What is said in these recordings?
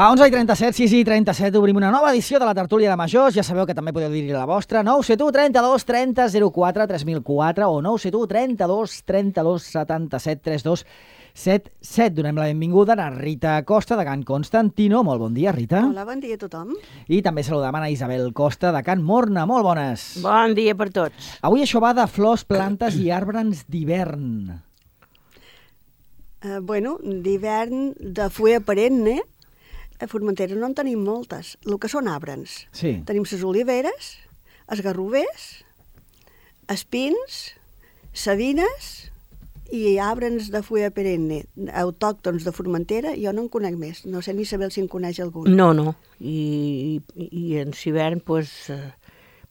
Va, 11:37, 6:37, obrim una nova edició de la tertúlia de majors. Ja sabeu que també podeu dir-hi la vostra. 971 32 30 04 3004 o 971 32 32 77 32 77. Donem la benvinguda a Rita Costa, de Can Constantino. Molt bon dia, Rita. Hola, bon dia a tothom. I també saludem a Isabel Costa, de Can Morna. Molt bones. Bon dia per tots. Avui això va de flors, plantes i arbres d'hivern. Bueno, d'hivern, de fulla perenne, a Formentera no en tenim moltes. El que són arbres. Sí. Tenim les oliveres, els garrovers, espins, savines i arbres de fulla perenne, autòctons de Formentera. Jo no en conec més. No sé ni saber si en coneix algun. No. I en hivern, doncs,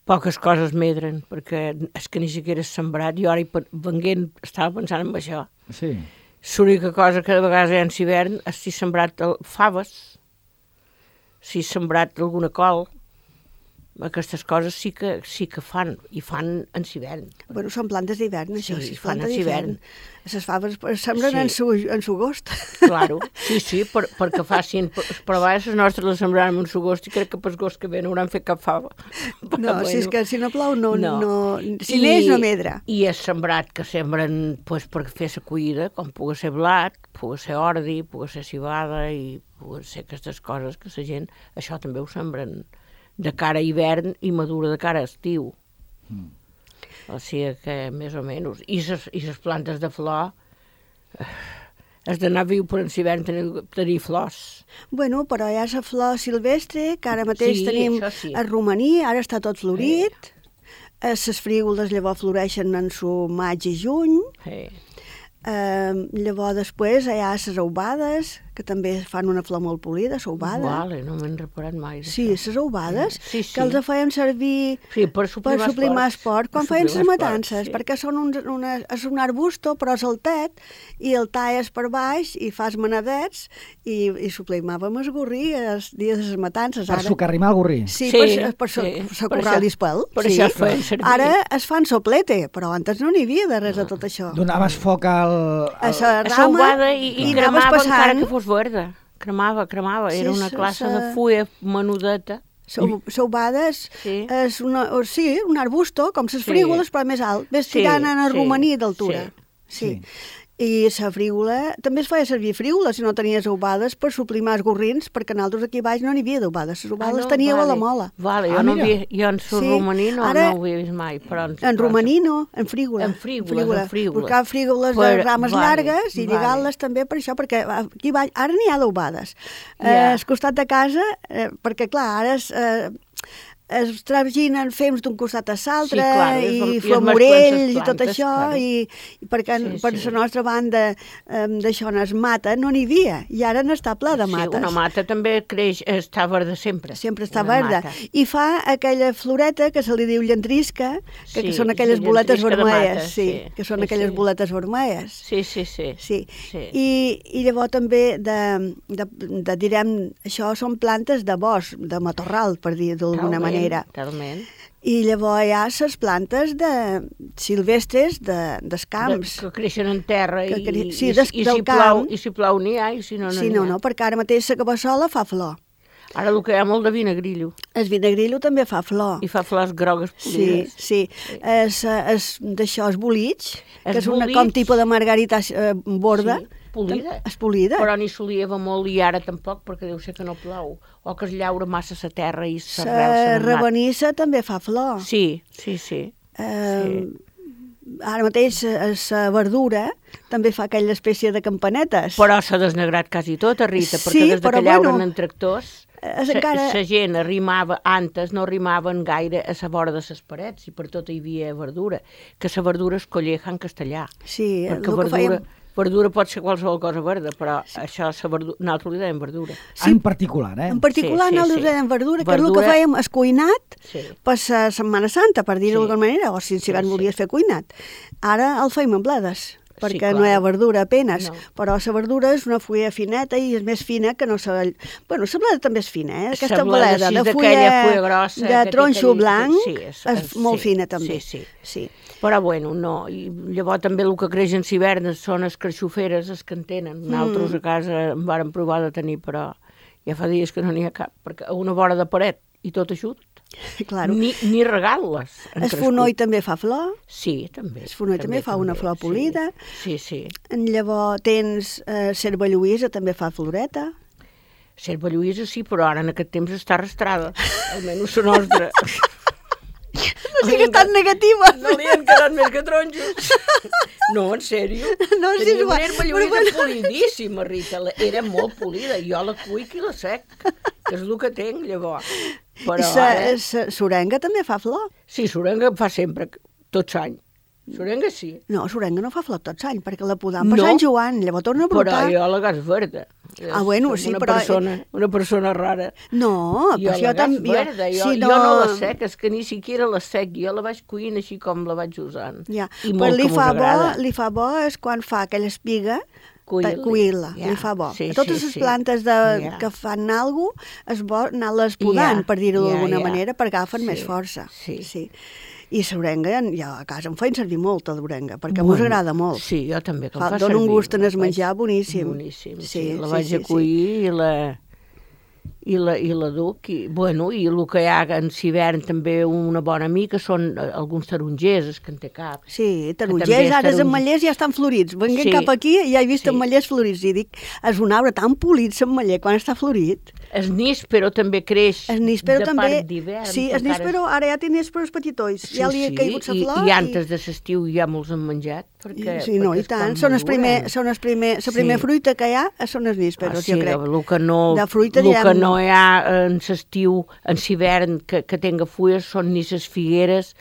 poques coses medren, perquè és que ni siquiera és sembrat. Jo ara, venint, estava pensant en això. Sí. L'única cosa que de vegades hi ha en hivern és si sembrat faves, si sembrat alguna col. Aquestes coses sí que fan, i fan en hivern. Bueno, són plantes d'hivern, això. Sí, Si és fan planta en hivern. Les faves sembren en su gost. Claro, sí, perquè facin... Però a vegades les nostres les sembraran en su gost i crec que pel gost que ve no hauran fet cap fava. No, si és que si no plou, no. Si I, neix, no medra. I és sembrat que sembren pues, per fer la collida, com pugui ser blat, pugui ser ordi, pugui ser cibada i pugui ser aquestes coses que la gent, això també ho sembren de cara a hivern i madura de cara a estiu. O sigui que més o menys. I les plantes de flor has d'anar viu per en hivern tenir flors. Bueno, però hi ha la flor silvestre, que ara mateix tenim sí. el romaní, ara està tot florit. Les frígoles llavors floreixen en su maig i juny. Llavors després hi ha les aubades, que també fan una flor molt polida, les aubades. Vale, no m'he reparat mai. Sí, les aubades, sí. que els feien servir per suplimar esport quan feien les matances, perquè són és un arbusto, però és altet, i el talles per baix i fas manadets, i suplimàvem el gorrí els dies de les matances. Per socarrimar el gorrí. Sí, per socorrar l'ispel. Per això es feien servir. Ara es fan soplete, però antes no n'hi havia de res de tot això. Donaves foc a la rama i cremava encara que fos verda. Cremava. Era una classe de fulla menudeta. Saubades és un arbusto, com les frígoles, però més alt. Ves tirant en el romaní d'altura. Sí. I la frígola, també es feia servir frígola si no tenies aubades per suplimar els gorrins, perquè nosaltres aquí baix no n'hi havia d'aubades. Les aubades les teníeu a la mola. Vale, jo en romaní no ho havia vist mai. En romaní no, en frígola. En frígola. Buscar frígoles de rames llargues i lligar-les també per això, perquè aquí baix ara n'hi ha d'aubades. Al costat de casa, perquè clar, ara es traginen fems d'un costat a l'altre, i flormorells i tot això, i perquè per la nostra banda d'això no es mata, no n'hi havia, i ara n'està ple de mates. Sí, una mata també creix, està verda sempre. Sempre està verda. I fa aquella floreta que se li diu llentrisca, que són aquelles boletes vermelles. Que són aquelles boletes vermelles. Sí. I llavors també direm, això són plantes de bosc, de matorral, per dir d'alguna manera. Talment. I llavors hi ha les plantes silvestres dels camps. Que creixen en terra i si plou n'hi ha i si no n'hi ha. Sí, no, perquè ara mateix la cabassola fa flor. Ara el que hi ha molt de vinagrillo. El vinagrillo també fa flor. I fa flors grogues polides. Sí. D'això, el bolitx, que és com tipus de margarita borda. Polida. És polida. Però ni solieva molt i ara tampoc, perquè deu ser que no plou. O que es llaura massa la terra i s'arrel. La rabanissa també fa flor. Sí. Ara mateix la verdura també fa aquella espècie de campanetes. Però s'ha desnegrat quasi tota, Rita, perquè des que llauren en tractors, la gent antes no arrimaven gaire a la vora de les parets i per tot hi havia verdura, que la verdura es colleja en castellà. Sí, perquè verdura pot ser qualsevol cosa verda, però això, nosaltres li dèiem verdura. En particular, En particular, nosaltres li dèiem verdura, que és el que fèiem és cuinat per la Setmana Santa, per dir-ho d'alguna manera, o si en volies fer cuinat. Ara el feim en bledes, perquè no hi ha verdura apenas, però la verdura és una fulla fineta i és més fina que no la... Bueno, la bleda també és fina, aquesta bleda de fulla grossa, de tronxo blanc és molt fina també. Sí. Però bueno, no. I llavors també el que creix en hivern són les carxoferes, les que en tenen. Nosaltres a casa en vàrem provar de tenir, però Ja fa dies que no n'hi ha cap, perquè a una vora de paret i tot eixut, Claro. ni regal-les. El fonoll també fa flor. Sí, també. El fonoll també fa una flor polida. Sí. Llavors tens Cerva Lluïsa, també fa floreta. Cerva Lluïsa sí, però ara en aquest temps està arrastrada, almenys la nostra. No sigues tan negativa. No li han quedat més que taronjos. No, en sèrio. No, sí, tenia una herba lluïsa polidíssima, Rita. Era molt polida. Jo la cuic i la sec, que és el que tinc, llavors. Però Sorenga també fa flor. Sí, Sorenga fa sempre, tot l'any. Sorenga sí. No, Sorenga no fa flor tot l'any, perquè la podam per Sant Joan, llavors torna a brotar. Però jo la gas verda. Bueno, sí, però... Una persona rara. No, però jo també... Jo no la sec, és que ni siquiera la sec. Jo la vaig cuint així com la vaig usant. Ja, però li fa bo és quan fa aquella espiga, cuir-la, li fa bo. Totes les plantes que fan alguna cosa, és bo anar-les podant, per dir-ho d'alguna manera, perquè agafen més força. Sí. I l'orenga, jo a casa em feien servir molt, l'orenga, perquè mos agrada molt. Sí, jo també, que em fa servir. Dóna un gust en el menjar boníssim. Boníssim, sí. La vaig a cuir i la duc. I el que hi ha en hivern també una bona mica són alguns tarongers, que en té cap. Sí, tarongers, ara els ametllers ja estan florits. Venguem cap aquí i ja he vist ametllers florits. I dic, és un arbre tan polit, l'ametller, quan està florit. El níspero també creix de part d'hivern. Sí, el níspero ara ja té nísperos petitolls. Ja li ha caigut la flor. I antes de l'estiu ja molts han menjat. Sí, no, i tant. Són la primera fruita que hi ha, són els nísperos, jo crec. El que no hi ha en l'estiu, en l'hivern, que tenga fulles, són ni les figueres.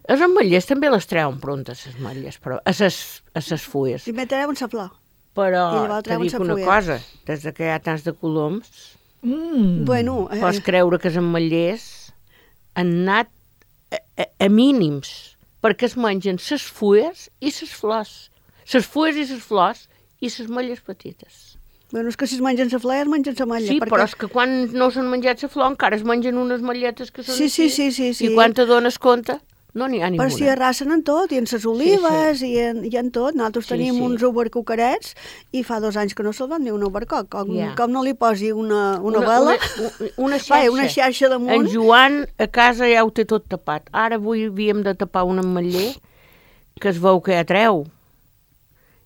Els ametllers també les treuen prontes, les ametlles, però a les fulles. Primer treuen la flor. Però te dic una cosa, des que hi ha tants de coloms, pots creure que els ametllers han anat a mínims, perquè es mengen les fulles i les flors. Les fulles i les flors i les ametlles petites. Bueno, és que si es mengen la flor, es mengen l'ametlla. Sí, però és que quan no s'han menjat la flor encara es mengen unes ametlletes que són així. Sí. I quan te dones compte, no n'hi ha ninguna. Però si arrasen en tot, i en les olives, i en tot. Nosaltres tenim uns obercucarets i fa 2 anys que no se'l van dir un obercoc. Com no li posi una vela, una xarxa. Una xarxa damunt. En Joan a casa ja ho té tot tapat. Ara avui havíem de tapar un ametller que es veu que ja treu.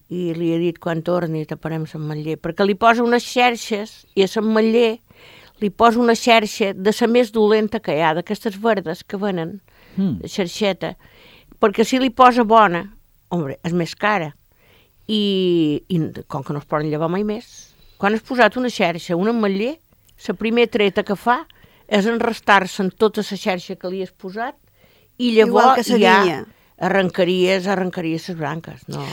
I li he dit quan torni taparem l'ametller, perquè li posa unes xarxes i a l'ametller li posa una xarxa de la més dolenta que hi ha, d'aquestes verdes que venen, xarxeta, perquè si li posa bona, és més cara, i com que no es poden llevar mai més, quan has posat una xarxa, un ametller, la primera treta que fa és enrestar-se en tota la xarxa que li has posat i llavors ja arrencaries les branques, no...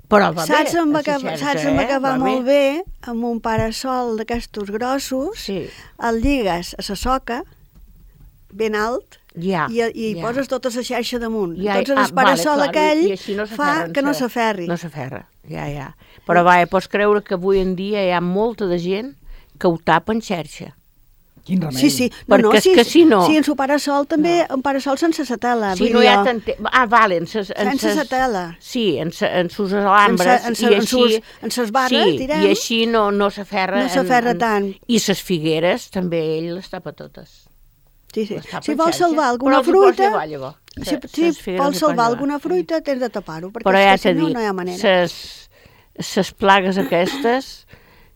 Però va bé. Saps on va acabar molt bé? Amb un parasol d'aquestos grossos, el lligues a la soca, ben alt, i poses tota la xarxa damunt. Entonces el parasol aquell fa que no s'aferri. No s'aferra, ja. Però pots creure que avui en dia hi ha molta de gent que ho tapa en xarxa. Quin remei. Sí. Perquè és que si no... Sí, en su parasol també, un parasol sense sa tela. Sí, no hi ha tant... sense sa tela. Sí, en sus alambres. En ses barres, direm. I així no s'aferra. No s'aferra tant. I ses figueres també ell les tapa totes. Sí. Si vols salvar alguna fruita... Si vols salvar alguna fruita, tens de tapar-ho, perquè si no hi ha manera. Ses plagues aquestes...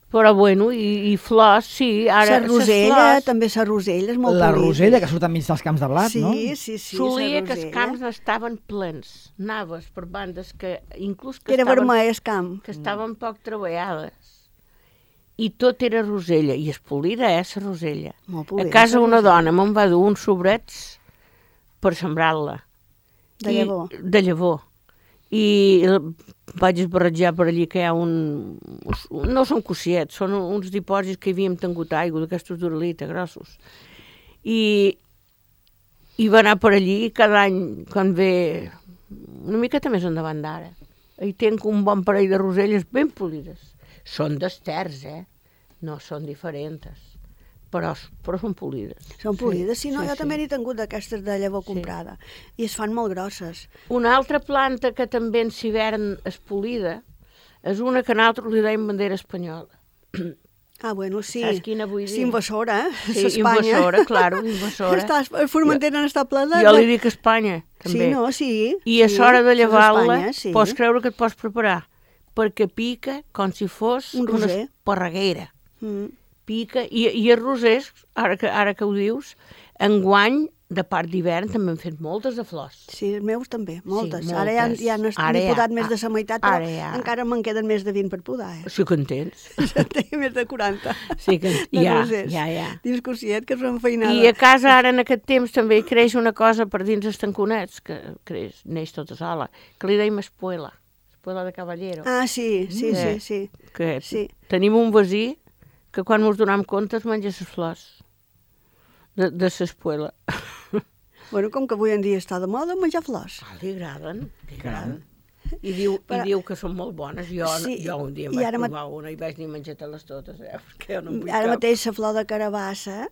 Però i flors, sí. La rosella, també la rosella és molt polida. La rosella que surt enmig dels camps de blat, no? Sí, solia que els camps estaven plens. Anaves per bandes que inclús que era vermell el camp. Que estaven poc treballades. I tot era rosella. I és polida, la rosella. Molt polida. A casa una dona me'n va dur uns sobrets per sembrar-la. De llavor. De llavor. I vaig esbarrejar per allí que hi ha no són cossiets, són uns dipòsits que hi havíem tingut aigua, d'aquestos d'uralita grossos. I va anar per allí cada any, quan ve una miqueta més endavant d'ara. Hi tinc un bon parell de roselles ben polides. Són d'esters, no són diferents. Però són polides. Són polides, sí, no, jo també n'he tingut d'aquestes de llavor comprada. I es fan molt grosses. Una altra planta que també en hivern és polida és una que nosaltres li deim bandera espanyola. Ah, bueno, sí. Saps quina vull dir? Sí, invasora, Sí, Espanya. invasora, claro, invasora. Formentera n'està plena. Jo li dic Espanya, també. Sí, no, sí. I a l'hora de llevar-la, sí. pots creure que et pots preparar, perquè pica com si fos una esparreguera. Pica, i els rosers, ara que ho dius, enguany, de part d'hivern, també han fet moltes de flors. Sí, els meus també, moltes. Sí, Ara ja n'he podat més de la meitat, però encara me'n queden més de 20 per podar. Sí que en tens. Ja en tinc més de 40. Sí que ja. Dins cosiet, que són feinada. I a casa, ara, en aquest temps, també creix una cosa per dins els tanconets, que neix tota sola, que li deim espuela de Caballero. Ah, sí. Que tenim un veí que quan ens donem compte es menja les flors de l'espuela. Bueno, com que avui en dia està de moda menjar flors. Li agraden. I diu que són molt bones. Jo un dia em vaig provar una i vaig dir menjar-te-les totes. Ara mateix la flor de carabassa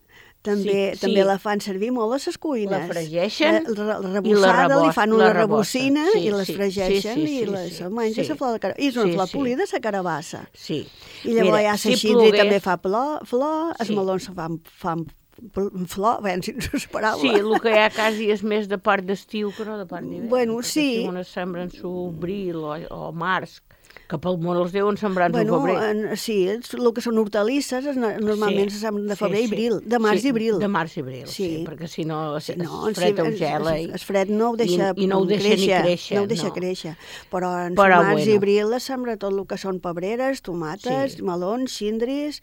també la fan servir molt a les cuines. La fregeixen la rebossada, li fan una rebossina i les fregeixen i les menja la flor de carabassa. I és una flor polida, la carabassa. Sí. I llavors ja la xindri també fa flor, els melons fan flor, bé, si no és paraula. Sí, el que hi ha quasi és més de part d'estiu que no de part d'hivern. Bueno, sí. Si unes sembren abril o març, que pel món els deuen sembrar en febrer. Sí, el que són hortalisses normalment se sembren de febrer i abril, de març i abril. De març i abril, sí, perquè si no es fred o gela. El fred no ho deixa i no ho deixa ni créixer. No ho deixa créixer. Però en març i abril es sembra tot el que són pebreres, tomates, melons, xindris,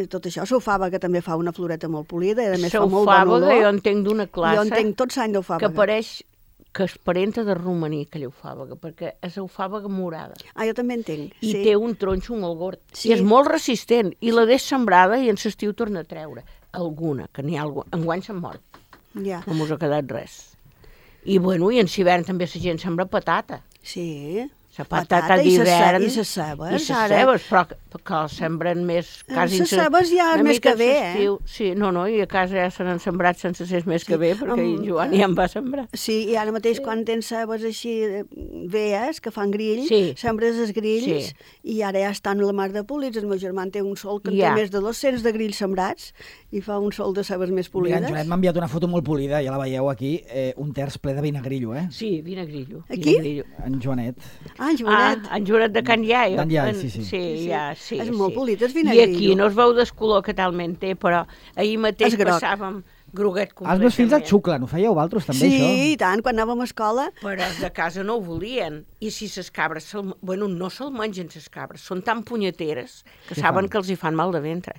tot això. Sofava, que també fa una floreta molt polida i a més fa molt bon olor. Jo entenc d'una classe. Jo entenc tot l'any d'eufàbaga. Que pareix que es parenta de romaní, aquella eufàbaga, perquè és eufàbaga morada. Ah, jo també entenc, I té un tronxo molt gord. Sí. I és molt resistent. I la deix sembrada i en l'estiu torna a treure. Alguna, que n'hi ha alguna. Enguany s'han mort. Ja. No mos ha quedat res. I bueno, i en hivern també la gent sembra patata. Sí. La patata d'hivern. I les cebes. I les cebes, però que els sembren més quasi... Les cebes ja és més que bé, Sí, no, i a casa ja se n'han sembrat sense ser més que bé, perquè en Joan ja en va sembrar. Sí, i ara mateix quan tens cebes així veies, que fan grill, sembres els grills, i ara ja estan a la mar de polits. El meu germà té un sol que té més de 200 de grills sembrats, i fa un sol de cebes més polides. Mira, en Joanet m'ha enviat una foto molt polida, ja la veieu aquí, un terç ple de vinagrillo, eh? Sí, vinagrillo. Aquí? En Joanet. En Joanet. En Joanet de Can Iai. D'en Iai, sí. Sí. És molt polit, és vinagrillo. I aquí no es veu del color que talment té, però ahir mateix passàvem groguet completament. Els meus fills et xuclen, ho fèieu vosaltres també, això? Sí, i tant, quan anàvem a escola. Però els de casa no ho volien. I si les cabres, no se'l mengen les cabres, són tan punyeteres que saben que els hi fan mal de ventre.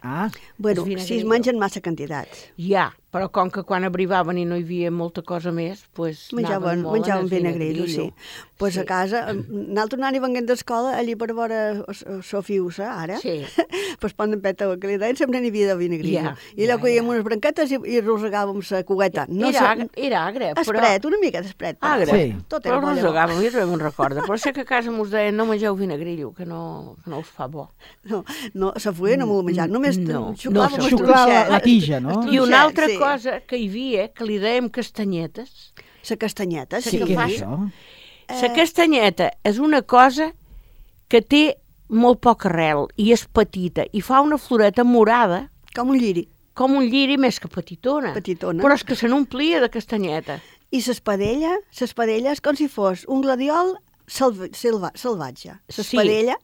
Bueno, si es mengen massa quantitats. Ja, però com que quan arribaven i no hi havia molta cosa més, doncs menjaven vinagrillo, sí. Doncs a casa, nosaltres anant i venint d'escola, allí per veure Sofiusa, ara, doncs poden peta que li deien, sempre n'hi havia de vinagrillo. I allò collíem unes branquetes i rosegàvem la cogueta. Era agre, però... Espret, una mica d'espret. Agre, però rosegàvem, jo també me'n recordo. Però sé que a casa mos deien no mengeu vinagrillo, que no us fa bo. No, la fulla no m'ho menjar, només xuclava la tija, no? I una altra cosa que hi havia, que li dèiem castanyetes. La castanyeta, sí. Què és això? La castanyeta és una cosa que té molt poca arrel i és petita i fa una floreta morada. Com un lliri. Com un lliri més que petitona. Però és que se n'omplia de castanyeta. I l'espadella és com si fos un gladiol salvatge. L'espadella,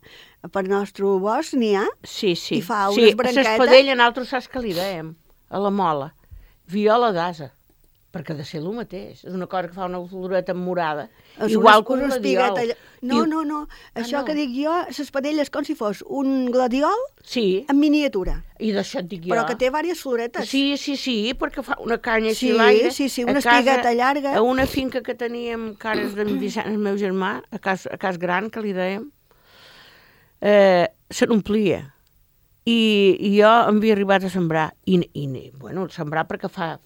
per nostre bosc n'hi ha, i fa unes branquetes. L'espadella nosaltres saps que li dèiem, a la mola, viola d'asa. Perquè ha de ser el mateix. És una cosa que fa una floreta morada. Igual que un gladiol. No. Això que dic jo, l'espadella és com si fos un gladiol en miniatura. I d'això et dic jo. Però que té diverses floretes. Sí, perquè fa una canya així l'aire. Sí, una espigueta llarga. A una finca que teníem, cares d'en Vicent, el meu germà, a Cas Gran, que li dèiem, se n'omplia. I jo havia arribat a sembrar, sembrar perquè fa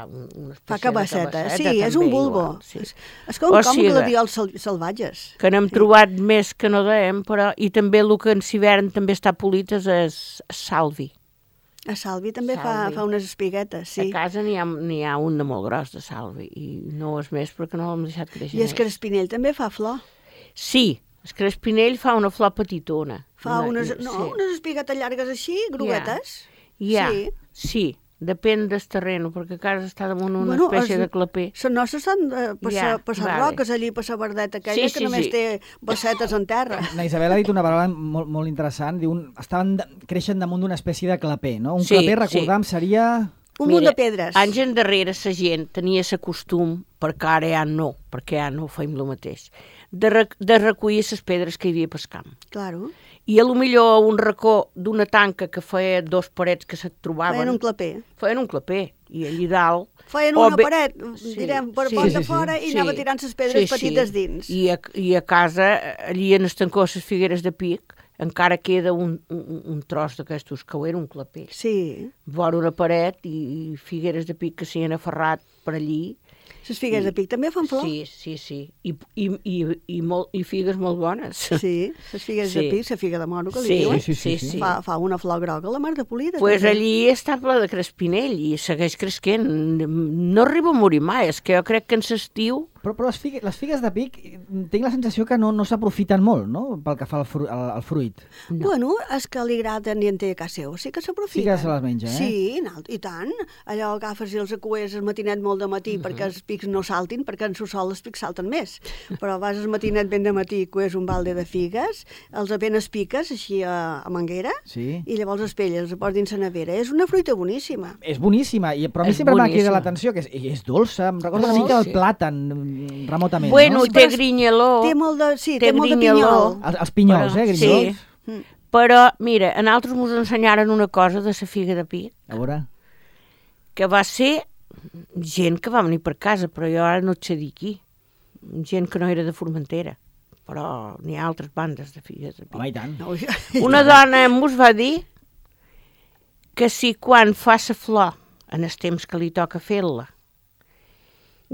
una espècie cabasseta, de cabasseta. Sí, és un bulbo. És com gladiols salvatges. Que n'hem trobat més que no dèiem, però i també el que en hivern també està polit és salvi. A salvi també fa unes espiguetes, sí. A casa n'hi ha un de molt gros de salvi i no és més perquè no l'hem deixat créixer. I el crespinell també fa flor. Sí. El crespinell fa una flor petitona. Fa unes espiguetes llargues així, groguetes. Sí, depèn del terreny, perquè a casa està damunt una espècie de claper. Les nostres estan per les roques allí, per la verdeta aquella, que només té bassetes en terra. La Isabel ha dit una paraula molt interessant, diu, creixen damunt d'una espècie de claper, no? Un claper, recordam, seria... Un munt de pedres. Anys endarrere la gent tenia el costum, perquè ara ja no feim el mateix, de recollir les pedres que hi havia pel camp. Claro. I a lo millor un racó d'una tanca que feia dos parets que se trobaven... Feien un claper. I allí dalt... Feien una paret, direm, per porta fora i anava tirant les pedres petites dins. I a casa, allí en estancó les figueres de pic, encara queda un tros d'aquestos que ho era un claper. Sí. Vora una paret i figueres de pic que s'hi han aferrat per allí. Les figues de pic també fan flor? Sí. I figues molt bones. Sí, les figues de pic, la figa de moro que li diuen. Sí. Fa una flor groga, la mar de polida. Pues allí està ple de crespinell i segueix cresquent. No arriba a morir mai, és que jo crec que en l'estiu... Però les figues de pic, tinc la sensació que no s'aprofiten molt, no?, pel que fa al fruit. No. Bueno, és que li agraden i en té a casa seu, sí que s'aprofiten. Sí que se les menja, Sí, i tant. Allò agafes i els acues el matinet molt de matí perquè els pics no saltin, perquè en su sol els pics salten més. Però vas el matinet ben de matí i cues un balde de figues, els apenes piques així a manguera, i llavors els pelles, els poses dins la nevera. És una fruita boníssima. És boníssima, però a mi sempre m'ha cridat l'atenció, que és dolça, em recorda una mica el plàtan, remotament. Bueno, té grinyeló. Té molt de pinyol. Els pinyols, grinyols. Sí. Però, mira, a nosaltres ens ensenyaren una cosa de la figa de pic. A veure. Que va ser gent que va venir per casa, però jo ara no et sé dir qui. Gent que no era de Formentera. Però n'hi ha altres bandes de figues de pic. Home, i tant. Una dona ens va dir que si quan fa la flor, en el temps que li toca fer-la,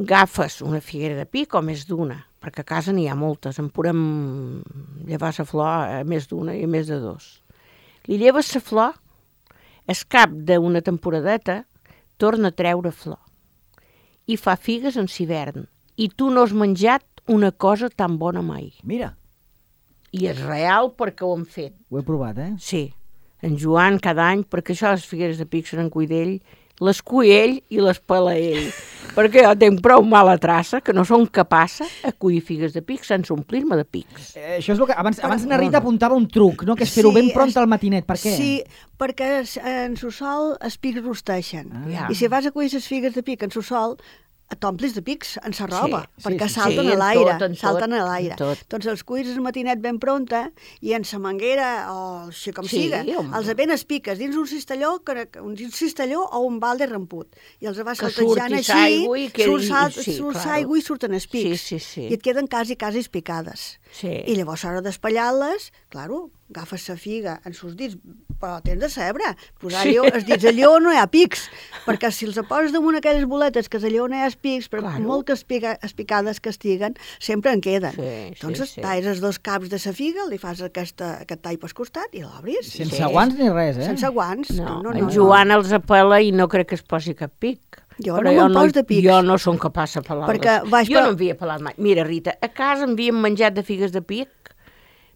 agafes una figuera de pic o més d'una, perquè a casa n'hi ha moltes, en podem llevar la flor a més d'una i a més de dos. Li lleves la flor, al cap d'una temporadeta, torna a treure flor i fa figues en l'hivern. I tu no has menjat una cosa tan bona mai. Mira. I és real perquè ho hem fet. Ho he provat, Sí. En Joan cada any, perquè això les figueres de pic seran cull d'ell, les cull ell i les pela ell. Perquè jo tinc prou mala traça que no som capaça a collir figues de pic sense omplir-me de pics. Això és el que... Abans na Rita apuntava un truc, no? Que és fer-ho ben pront al matinet. Per què? Sí, perquè en su sol els pics rosteixen. I si vas a collir les figues de pic en su sol, t'omplis de pics en sa roba, perquè salten a l'aire, salten a l'aire. Doncs els cuis el matinet ben pronta i en sa manguera, o així com siga, els apenes piques dins un cistelló o un balde ramput. I els vas saltejant així, surt aigua i surten els pics. I et queden quasi picades. I llavors a l'hora d'espallar-les, claro, agafes la figa en sus dits, però tens de saber posar els dits allò on no hi ha pics, perquè si els poses damunt aquelles boletes que és allò on hi ha pics, per molt que picades que estiguen, sempre en queden. Doncs talles els dos caps de la figa, li fas aquest tall pel costat i l'obris. Sense guants ni res, Sense guants. En Joan els apela i no crec que es posi cap pic. Jo no me'n pos de pics. Jo no som capaç de pelar-les. Jo no m'havia pelat mai. Mira, Rita, a casa m'havien menjat de figues de pic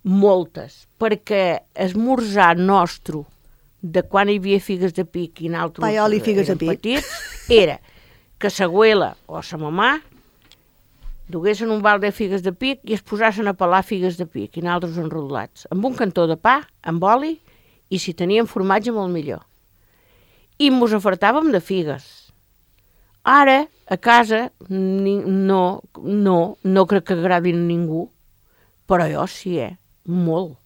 moltes, perquè esmorzar nostre de quan hi havia figues de pic i nosaltres érem petits, era que sa abuela o sa mamà duguessin un bal de figues de pic i es posassin a pelar figues de pic i nosaltres enrodolats, amb un cantó de pa, amb oli, i si teníem formatge molt millor. I mos afartàvem de figues. Ara, a casa, no crec que agradin a ningú, però jo sí, molt.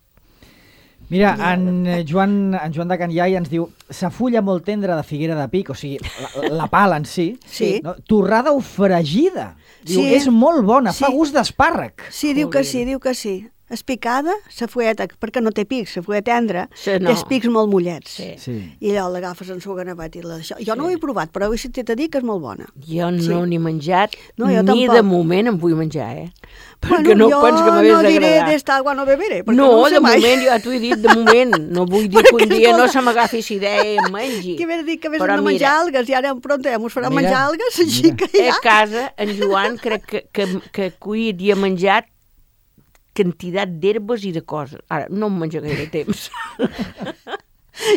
Mira, en Joan de Can Iai ens diu sa fulla molt tendra de figuera de pic, o sigui, la pala en si, no? Torrada o fregida. Diu, és molt bona, fa gust d'espàrrec. Sí, diu que sí. Espicada, la fulleta, perquè no té pics, la fulla tendra, té els pics molt mullets. I allò l'agafes en su ganavet i jo no ho he provat, però he sentit a dir que és molt bona. Jo no n'he menjat, ni de moment em vull menjar, perquè no penso que m'hagués d'agradar. Jo no diré d'esta agua no beberé, perquè no de moment, jo t'ho he dit de moment, no vull dir que un dia no se m'agafi si idea i em mengi. Què ve dir que hagués de menjar algues, i ara pronto ja mos farà menjar algues, així que ja... A casa, en Joan crec que cuit i ha menjat quantitat d'herbes i de coses. Ara, no em menja gaire temps.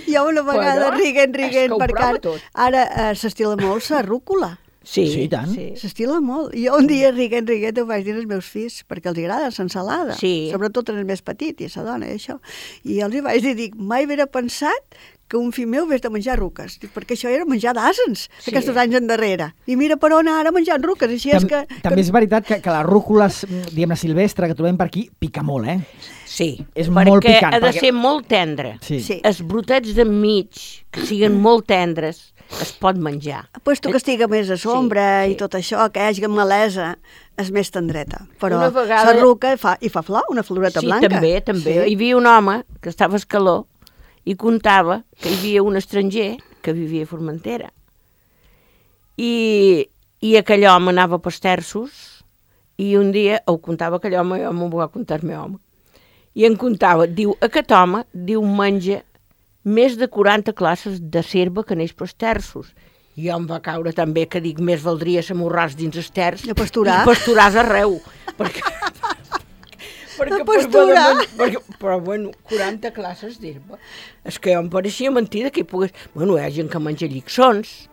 Jo una vegada riguent, perquè ara s'estila molt la rúcula. Sí, tant. S'estila molt. Jo un dia riguent ho vaig dir als meus fills, perquè els agrada l'ensalada, sobretot els més petits, i la dona, i això. I els hi vaig dir, mai haver pensat que un fill meu hagués de menjar ruques, perquè això era menjar d'àsens, aquests anys endarrere. I mira per on ara menjant ruques, així és que... També és veritat que la rúcula, diguem-ne, silvestre, que trobem per aquí, pica molt, Sí, és molt picant, ha de ser molt tendre. Sí. Els brotets d'enmig, que siguin molt tendres, es pot menjar. Puesto que estiga més a sombra i tot això, que hi hagi malesa, és més tendreta. Però la ruca fa flor, una floreta blanca. Sí, també. Hi havia un home que estava a Escaló i contava que hi havia un estranger que vivia a Formentera. I aquell home anava pels terços i un dia, ho contava aquell home, jo m'ho va contar el meu home, i em contava, diu, aquest home, menja més de 40 classes de serva que neix pels terços. I jo em va caure també que dic, més valdria s'amorràs dins els terç i pasturàs arreu. Però, bueno, 40 classes d'herba. És que jo em pareixia mentida que hi pogués... Bueno, hi ha gent que menja lliçons,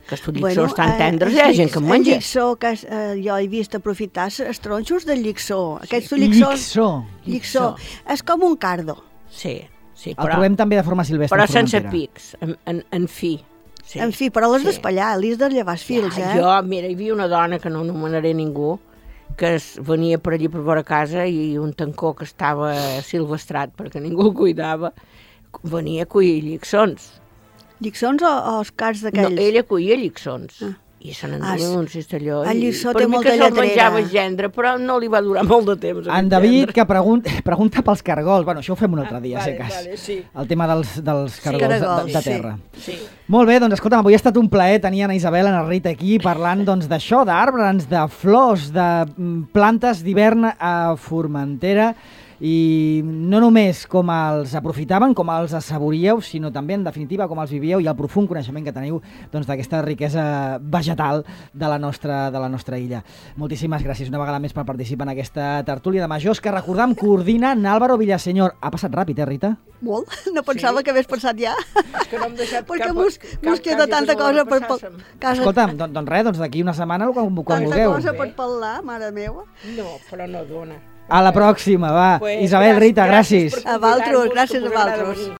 que els lliçons tan tendres, hi ha gent que en menja. El lliçó, que jo he vist aprofitar els tronxos del lliçó. Aquests lliçó. És com un cardo. Sí, el trobem també de forma silvestre. Però sense pics, en fi. Sí. En fi, però l'has d'espallar, l'has de llevar els fils, Mira, hi havia una dona, que no anomenaré ningú, que venia per allí per vora casa i un tancó que estava silvestrat perquè ningú el cuidava, venia a collir lliçons. Lliçons o els cars d'aquells? No, ella collia lliçons. I se n'enduia un cistelló. El lliçó té molta lletrera. Per mi que se'l menjava gendre, però no li va durar molt de temps. En David, que pregunta pels cargols. Bueno, això ho fem un altre dia, si cas. Sí. El tema dels cargols de terra. Sí. Molt bé, doncs escolta'm, avui ha estat un plaer tenir Anna Isabel, Anna Rita aquí parlant d'això, d'arbres, de flors, de plantes d'hivern a Formentera. I no només com els aprofitaven, com els assaboríeu, sinó també, en definitiva, com els vivíeu i el profund coneixement que teniu d'aquesta riquesa vegetal de la nostra illa. Moltíssimes gràcies una vegada més per participar en aquesta tertúlia de majors que, recordam, coordina Álvaro Villaseñor. Ha passat ràpid, Rita? Molt. No pensava que hagués passat ja. És que no hem deixat perquè mos queda tanta cosa per casa. Escolta'm, doncs d'aquí una setmana quan vulgueu. Tanta cosa per parlar, mare meva. No, però no dona. A la pròxima, va. Isabel, Rita, gràcies. A vosaltres, gràcies a vosaltres.